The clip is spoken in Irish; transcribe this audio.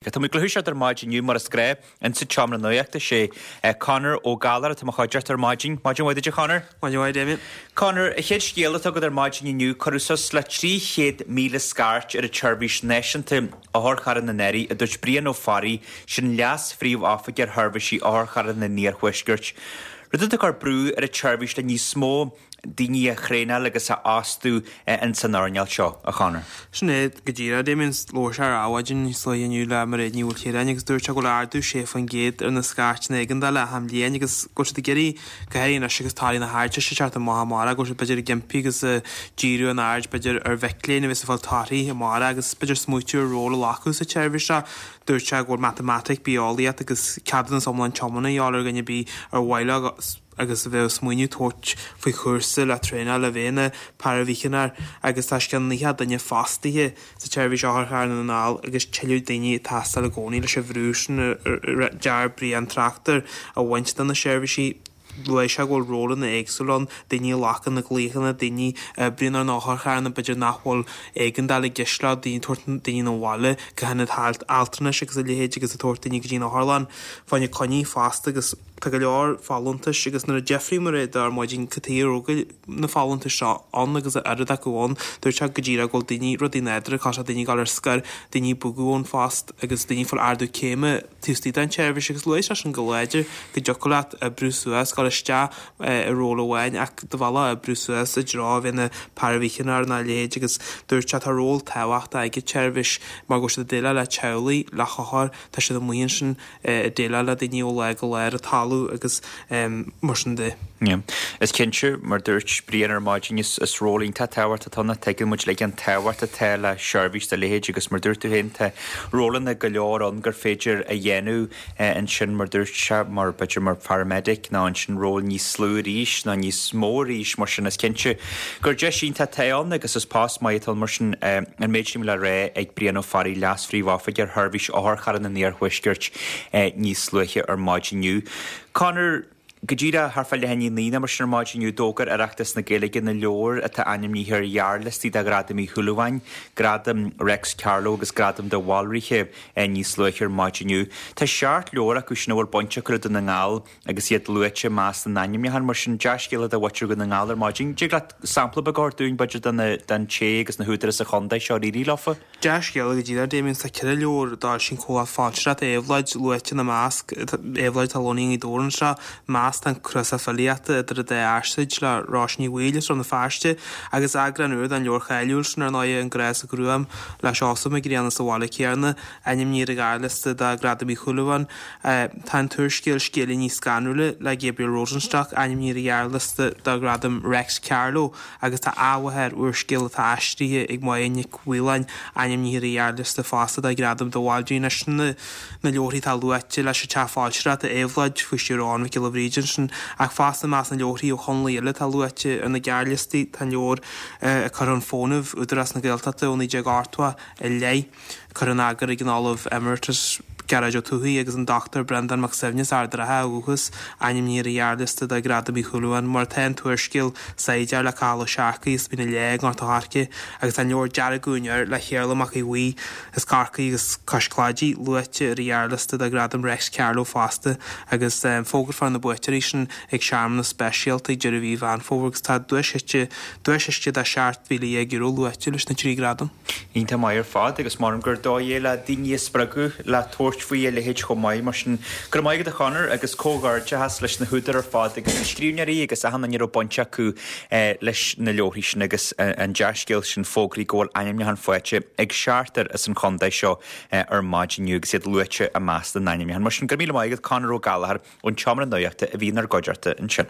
Tá muid ag gluaiseacht ar maidin inniu mar is gnách insa tseomra nuachta. Sé Conor Ó Gallchóir atá i mo chuideachta ar maidin. Maidin mhaith duit a Chonor. Maidin mhaith Damien. Conor, an chéad scéal atá agat ar maidin inniu, cuireadh suas le 300,000 scairt ar an tseirbhís náisiúnta otharcharranna anuraidh, a dúirt Brian Ó Fearraigh, sin Leas-Phríomh-Oifigeach Sheirbhísí Otharcharranna an Iarthuaiscirt. Rud atá ag cur brú ar an tseirbhís le níos mó daoine a thraenáil agus a fhostú ins an earnáil seo, a Chonor. Sin é go díreach, Damien. Labhair sé ar Adhmhaidin níos luaithe inniu le Mairéad Ní Mhaoilchiaráin agus dúirt sé go bhfuil ardú 6% ar na scairteanna éigeandála achan bhliain agus go bhfuil siad ag iarraidh, go háirithe anois agus torthaí na hArdteiste ag teacht amach amárach, go bhfuil siad b'fhéidir ag impí agus ag díriú an aird b'fhéidir ar mhic léinn a bheas ag fáil torthaí amárach agus b'fhéidir smaoitiú ar ról a ghlacadh sa tseirbhís seo. Dúirt sé go bhfuil matamaitic, bitheolaíocht agus ceadúnas iomlán tiomána a dhíobháil ar dhuine ar bith ar mhaith leo agus a bheadh ag smaoineamh tabhairt faoi chúrsa le traenáil le bheith ina bparaimhíochaineoir agus tá os cionn 90 duine fostaithe sa tseirbhís otharcharranna na nGall agus tuilleadh daoine ag teastáil i gcónaí leis an bhrú sin a deir Brian trácht air a bhaint de na seirbhísí. Luaigh sé go bhfuil rólanna éagsúla ann, daoine a ghlacann na glaochanna, daoine a oibríonn ar na hotharcharranna b'fhéidir nach bhfuil éigeandáil i gceist leo, daoine ag tabhairt daoine 'na bhaile go hionad altranais agus a leithéid agus ag tabhairt daoine go dtí an otharlann fá choinne coinní fosta agus Tá go leor folúntais agus nuair a d'fhiafraigh Mairéad de ar maidin cad chuige a raibh na folúntais seo ann agus an oiread acu ann, dúirt sé go díreach go bhfuil daoine, rudaí nádúrtha, cosúil le daoine ag dul ar scor, daoine ag bogadh ón phost agus daoine ag fáil ardú céime taobh istigh den tseirbhís agus luaigh sé sin go láidir go dtiocfadh leat oibriú suas, dul isteach i ról amháin ach do bhealach a oibriú suas i dtreo a bheith ina pharaimhíochaineoir nó a leithéid agus dúirt sé tá ról tábhachtach ag an tseirbhís mar go bhfuil siad ag déileáil le teaghlaigh, le hothair, tá siad amuigh ansin. ag déileáil le daoine ó lá go lá ar an talamh agus mar sin de. Is cinnte, mar dúirt Brian ar maidin, is ról iontach tábhachtach atá ann. Tuigeann muid uilig an tábhacht atá le seirbhís dá leithéid agus mar dúirt tú féin, tá rólanna go leor ann gur féidir a dhéanamh ansin, mar dúirt sé, mar b'fhéidir mar paramedic nó ansin ról níos lú arís nó níos mó arís mar sin is cinnte gur deis iontach atá ann agus is post maith atá ann mar sin an méid sin le rá ag Brian Ó Fearraigh, Leas-Phríomh-Oifigeach Sheirbhís Otharcharranna an Iarthuaiscirt níos luaithe ar maidin inniu. Conor, Go díreach thart fá leath i ndiaidh a 9 nó mar sin ar maidin inniu, d'fhógair Oireachtas na Gaeilge na leabhair atá ainmnithe ar ghearrliostaí do Ghradaim Uí Shúilleabháin, Gradam Reics Carló agus Gradam de Bhaldraithe níos luaithe ar maidin inniu. Tá seacht leabhar acu sin a bhfuil baint acu le Dún na nGall agus iad luaite i measc na n-ainmniúchán. Mar sin, dea-scéala do mhuintir Dhún na nGall ar maidin. Dtig leat sampla beag a thabhairt dúinn, b'fhéidir, den té agus na húdair as an chontae seo ar éirigh leofa? Dea-scéala go díreach, Damien, tá 4 leabhar a d'fhoilsigh an comhlacht foilsitheoireachta Éabhlóid luaite ina measc, Éabhlóid atá lonnaithe i nGaoth Dobhair anseo, measc tá an cnuasach filíochta Idir an Dá Fhearsaid le Róise Ní Bhaoill as Rann na Feirste agus eagrán úr den leabhar cháiliúil sin ar ndóigh, An Grá is an Ghruaim le Seosamh Mac Grianna sa bhaile céanna, ainmnithe ar an ghearrliosta do Ghradam Uí Shúilleabháin. Tá an t-úrscéal Scéilíní Scanrúla le Gabriel Rosenstock ainmnithe ar an ghearrliosta do Ghradam Reics Carló agus tá Athmháthair, úrscéal atá aistrithe ag Máire Nic Mhaoláin, ainmnithe ar an ghearrliosta fosta do Ghradam de Bhaldraithe. Anois na na leabharthaí atá luaite leis an teach foilsitheoireachta, Éabhlóid, faoi stiúir Eoghan Mhic Giolla Bhríde ansin, ach fosta i measc na leabharthaí ó chonlaí eile atá luaite ar na gearrliostaí, tá an leabhar Ag Cur Chun Fónaimh, Údarás na Gaeltachta ó 1980 i leith. Curtha in eagar ag an Ollamh Emeritus Gearóid Ó Tuathaigh agus an Dr Breandán Mac Suibhne as Ard an Rátha ó dhúchas, ainmnithe ar an ghearrliosta do Ghradam Uí Shúilleabháin, mar atá an t-úrscéal Saighdeoir le Cathal Ó Searcaigh as Mín an Leá i nGort an Choirce agus tá an leabhar Deargadh an Fhir le hIarla Mac Aodha Bhuí as Corcaigh agus Cois Claidí luaite ar an ghearrliosta do Ghradam Reics Carló fosta agus fógrófar na buaiteoirí sin ag searmanas speisialta ag deireadh mhí Mheán Fómhair agus tá duaischiste duaischiste de €17,000 luaite leis na trí ghradam. Iontach maith ar fad agus measaim gur dóigh é le daoine a spreagadh le tabhairt faoi a leithéid chomh maith. Mar sin, go raibh maith agat a Chonor agus comhghairdeachas leis na húdair ar fad agus na scríbhneoirí agus achan duine a raibh baint acu leis na leabharthaí sin agus an dea-scéal sin fógraithe go bhfuil ainmniúchán faighte ag seachtar as an chontae seo ar maidin inniu agus iad luaite i measc na n-ainmniúchán. Mar sin, go raibh míle maith agat Conor Ó Gallchóir ón tSeomra Nuachta a bhí inár gcuideachta ansin.